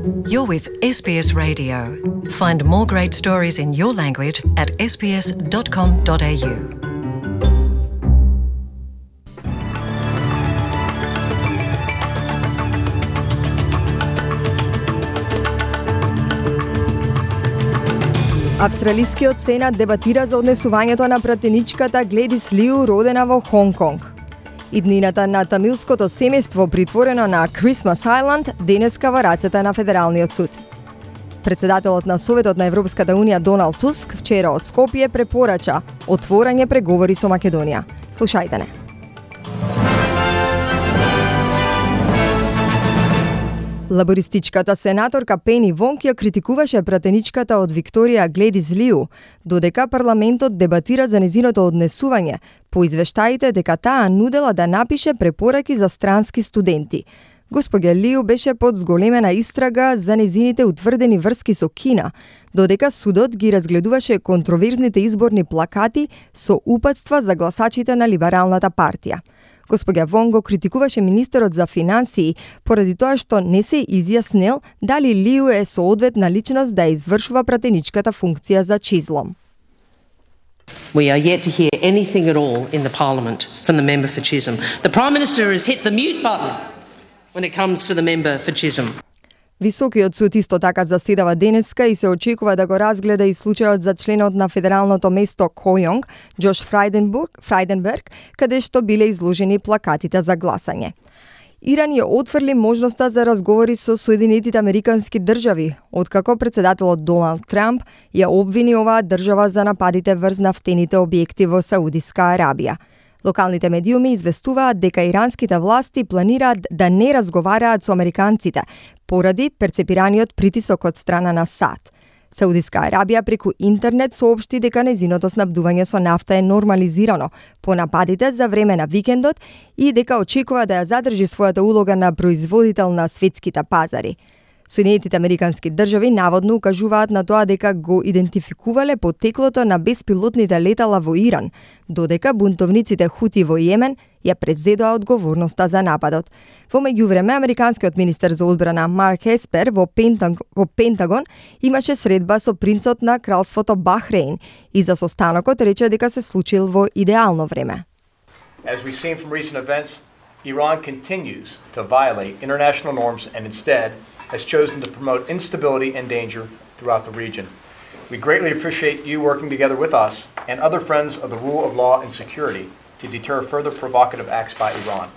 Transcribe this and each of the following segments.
You're with SBS Radio. Find more great stories in your language at sbs.com.au. Австралискиот сенат дебатира за однесувањето на пратеничката Гледис Лиу, родена во Хонг Конг. Иднината на тамилското семејство, притворено на Christmas Island, денеска во рацете на Федералниот суд. Председателот на Советот на Европската Унија Доналд Туск вчера од Скопје препорача отворање преговори со Македонија. Слушајте не. Лабористичката сенаторка Пени Вонг ја критикуваше пратеничката од Викторија Гледис Лиу, додека парламентот дебатира за незиното однесување, по извештаите дека таа нудела да напише препораки за странски студенти. Госпоѓа Лиу беше под зголемена истрага за незините утврдени врски со Кина, додека судот ги разгледуваше контроверзните изборни плакати со упатства за гласачите на Либералната партија. Господја Вонг го критикуваше министерот за финансии поради тоа што не се изјаснил дали Лиу е соодветна личност да извршува пратеничката функција за чизлом. We are yet to hear anything at all in the Parliament from the member for Chisholm. The Prime Minister has hit the mute button when it comes to the member for Chisholm. Високиот суд исто така заседава денеска и се очекува да го разгледа и случајот за членот на федералното место Којонг, Джош Фрајденберг, каде што биле изложени плакатите за гласање. Иран ја отфрли можноста за разговори со Соединетите Американски држави, откако председателот Доналд Трамп ја обвини оваа држава за нападите врз нафтените објекти во Саудиска Арабија. Локалните медиуми известуваат дека иранските власти планираат да не разговараат со американците поради перцепираниот притисок од страна на САД. Саудиска Арабија преку интернет соопшти дека незиното снабдување со нафта е нормализирано по нападите за време на викендот и дека очекува да ја задржи својата улога на производител на светските пазари. Соединетите Американски држави наводно укажуваат на тоа дека го идентификувале потеклото на беспилотните летала во Иран, додека бунтовниците Хути во Јемен ја презедоа одговорноста за нападот. Во меѓувреме, американскиот министер за одбрана Марк Еспер во Пентагон имаше средба со принцот на кралството Бахрейн и за состанокот рече дека се случил во идеално време. As we've seen from recent events, Iran continues to violate international norms and instead has chosen to promote instability and danger throughout the region. We greatly appreciate you working together with us and other friends of the rule of law and security to deter further provocative acts by Iran.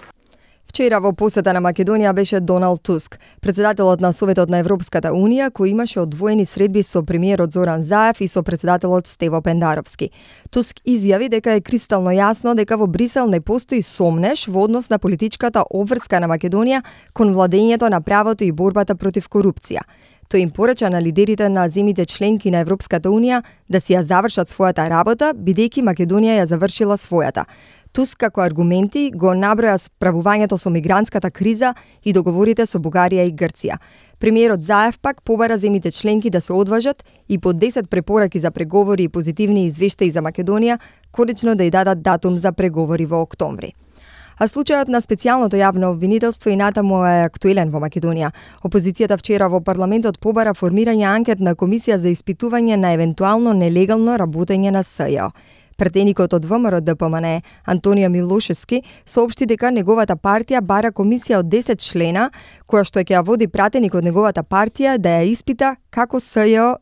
Вчера во посета на Македонија беше Доналд Туск, председателот на Советот на Европската Унија, кој имаше одвоени средби со премиерот Зоран Заев и со председателот Стево Пендаровски. Туск изјави дека е кристално јасно дека во Брисел не постои сомнеш во однос на политичката обврска на Македонија кон владењето на правото и борбата против корупција. Тој им порача на лидерите на земите членки на Европската Унија да си ја завршат својата работа, бидејќи Македонија ја завршила својата. Туск како аргументи го наброја справувањето со мигрантската криза и договорите со Бугарија и Грција. Премиерот Заев пак побара земите членки да се одважат и по 10 препораки за преговори и позитивни извештаи за Македонија конечно да ја дадат датум за преговори во октомври. А случајот на специјалното јавно обвинителство и натаму е актуелен во Македонија. Опозицијата вчера во парламентот побара формирање анкетна комисија за испитување на евентуално нелегално работење на СЈО. Пратеникот од ВМРО ДПМН Антонија Милошевски соопшти дека неговата партија бара комисија од 10 члена, која што ќе ја води пратеник од неговата партија да ја испита како СЈО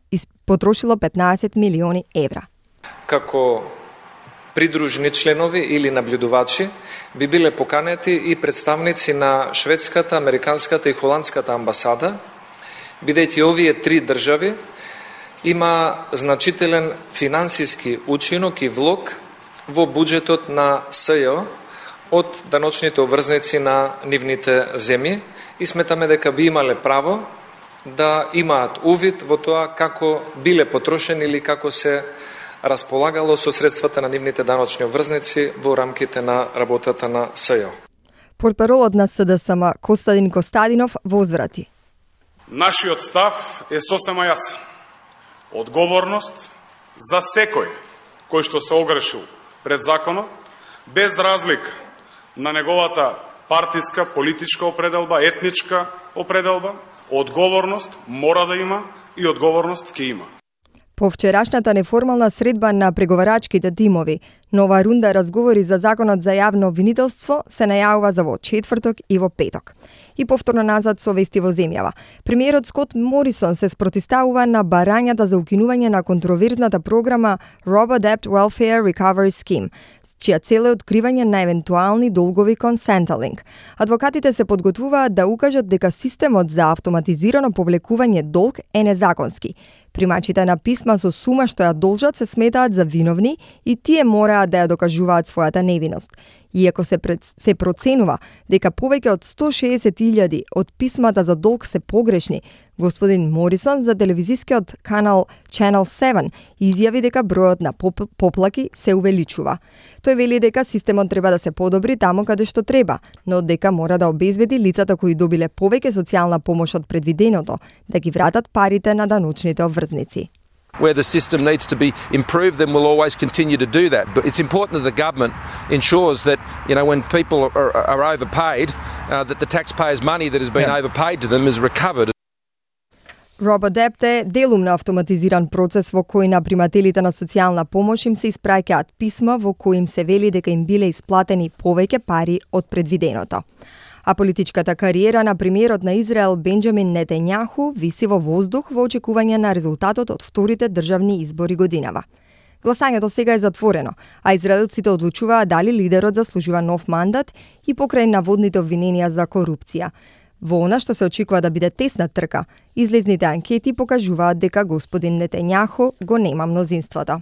потрошило 15 милиони евра. Како придружени членови или наблюдувачи би биле поканети и представници на шведската, американската и холандската амбасада, бидејќи овие три држави има значителен финансиски учинок и влог во буџетот на СЈО од даночните обврзници на нивните земји и сметаме дека би имале право да имаат увид во тоа како биле потрошени или како се располагало со средствата на нивните даночни обврзници во рамките на работата на СЈО. Портпаролот на СДСМ Костадин Костадинов возврати. Нашиот став е сосема јасен. Одговорност за секој кој што се огрешил пред законот, без разлика на неговата партиска, политичка определба, етничка определба, Одговорност мора да има и одговорност ќе има. По вчерашната неформална средба на преговарачките тимови, нова рунда разговори за законот за јавно обвинителство се најавува за во четврток и во петок. И повторно назад со вести во земјава. Премиерот Скот Морисон се спротивставува на барањата за укинување на контроверзната програма Robo-Debt Welfare Recovery Scheme, чија цел е откривање на евентуални долгови кон Centrelink. Адвокатите се подготвуваат да укажат дека системот за автоматизирано повлекување долг е незаконски. Примачите на писма со сума што ја должат се сметаат за виновни и тие мораат да ја докажуваат својата невиност. Иако се проценува дека повеќе од 160.000 од писмата за долг се погрешни, господин Морисон за телевизискиот канал Channel 7 изјави дека бројот на поплаки се увеличува. Тој вели дека системот треба да се подобри таму каде што треба, но дека мора да обезбеди лицата кои добиле повеќе социјална помош од предвиденото да ги вратат парите на даночните обврзници. Where the system needs to be improved, then we'll always continue to do that. But it's important that the government ensures that, when people are overpaid, that the taxpayers' money that has been overpaid to them is recovered. Robo-Debt е делумно автоматизиран процес во кој на примателите на социјална помош им се испраќаат писма во кои им се вели дека им биле исплатени повеќе пари од предвиденото. А политичката кариера на премиерот на Израел Бенџамин Нетањаху виси во воздух во очекување на резултатот од вторите државни избори годинава. Гласањето сега е затворено, а израелците одлучуваат дали лидерот заслужува нов мандат и покрај наводните обвиненија за корупција. Во она што се очекува да биде тесна трка, излезните анкети покажуваат дека господин Нетањаху го нема мнозинството.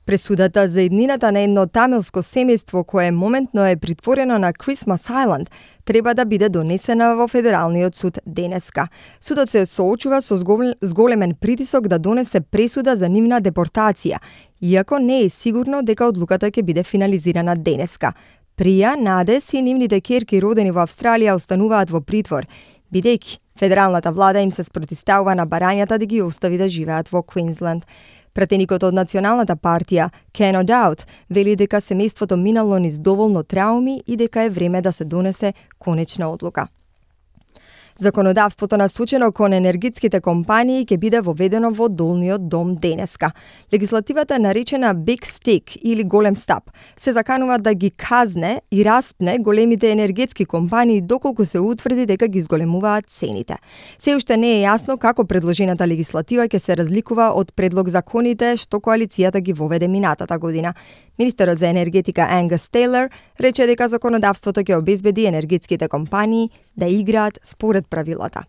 Пресудата за иднината на едно тамилско семејство кое моментно е притворено на Christmas Island треба да биде донесена во Федералниот суд денеска. Судот се соочува со зголемен притисок да донесе пресуда за нивна депортација, иако не е сигурно дека одлуката ќе биде финализирана денеска. Прија, Надес и нивните ќерки родени во Австралија остануваат во притвор, бидејќи федералната влада им се спротивставува на барањата да ги остави да живеат во Квинсленд. Пратеникот од Националната партија, Ken O'Dowd, вели дека семејството минало низ доволно трауми и дека е време да се донесе конечна одлука. Законодавството насочено кон енергетските компании ќе биде воведено во долниот дом денеска. Легислативата наречена Big Stick или голем стап се заканува да ги казне и распне големите енергетски компании доколку се утврди дека ги зголемуваат цените. Се уште не е јасно како предложената легислатива ќе се разликува од предлог законите што коалицијата ги воведе минатата година. Министерот за енергетика Ангус Тейлор рече дека законодавството ќе обезбеди енергетските компании да играат според правилата.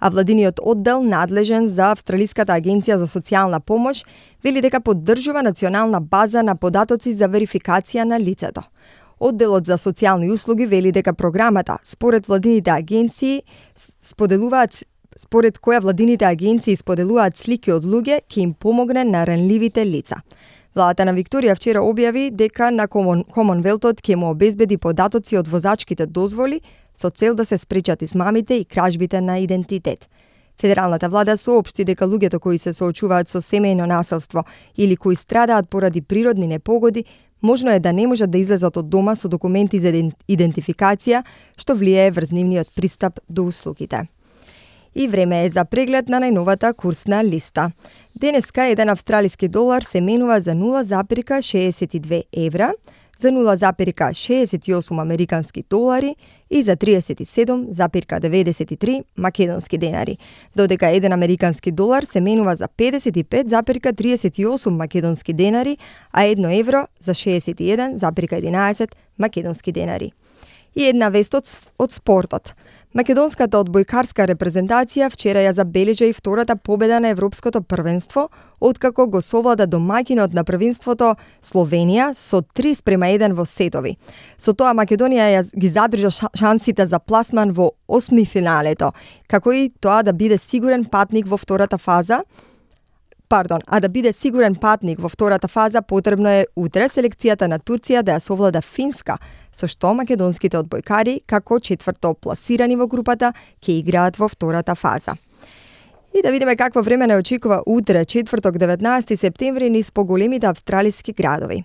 А владиниот оддел надлежен за Австралиската агенција за социјална помош вели дека поддржува национална база на податоци за верификација на лицето. Одделот за социјални услуги вели дека програмата според која владините агенции споделуваат слики од луѓе ќе им помогне на ранливите лица. Владата на Викторија вчера објави дека на Комонвелтот ќе му обезбеди податоци од возачките дозволи со цел да се спречат измамите и кражбите на идентитет. Федералната влада соопшти дека луѓето кои се соочуваат со семејно насилство или кои страдаат поради природни непогоди, можно е да не можат да излезат од дома со документи за идентификација, што влијае врз нивниот пристап до услугите. И време е за преглед на најновата курсна листа. Денеска еден австралиски долар се менува за 0,62 евра, за 0,68 американски долари и за 37,93 македонски денари, додека еден американски долар се менува за 55,38 македонски денари, а 1 евро за 61,11 македонски денари. И една вест од спортот. Македонската одбојкарска репрезентација вчера ја забележа и втората победа на Европското првенство, откако го совлада домаќинот на првенството Словенија со 3:1 во сетови. Со тоа Македонија ги задржа шансите за пласман во 8 финалето, како и тоа да биде сигурен патник во втората фаза. Да биде сигурен патник во втората фаза, потребно е утре селекцијата на Турција да ја совлада Финска, со што македонските одбојкари, како четврто пласирани во групата, ќе играат во втората фаза. И да видиме какво време не очекува утре, четврток 19 септември, низ поголемите австралиски градови.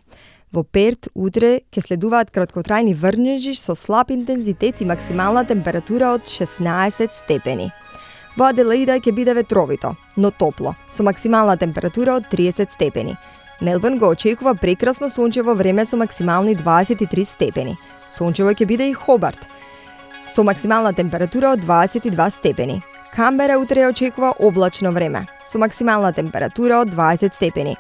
Во Перт утре ќе следуваат краткотрајни врнежи со слаб интензитет и максимална температура од 16 степени. Во Аделаида ќе биде ветровито, но топло, со максимална температура од 30 степени. Мелбурн го очекува прекрасно сончево време со максимални 23 степени. Сончево ќе биде и Хобарт, со максимална температура од 22 степени. Камбера утре очекува облачно време, со максимална температура од 20 степени.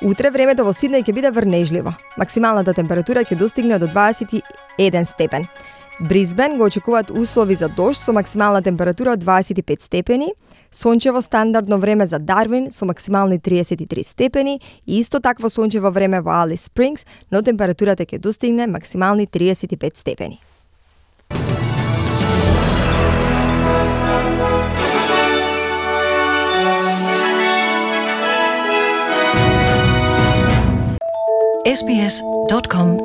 Утре времето во Сиднеј ќе биде врнежливо. Максималната температура ќе достигне до 21 степен. Брисбен го очекуваат услови за дожд со максимална температура од 25 степени, сончево стандардно време за Дарвин со максимални 33 степени и исто такво сончево време во Алис Спрингс, но температурата ќе достигне максимални 35 степени. sbs.com.au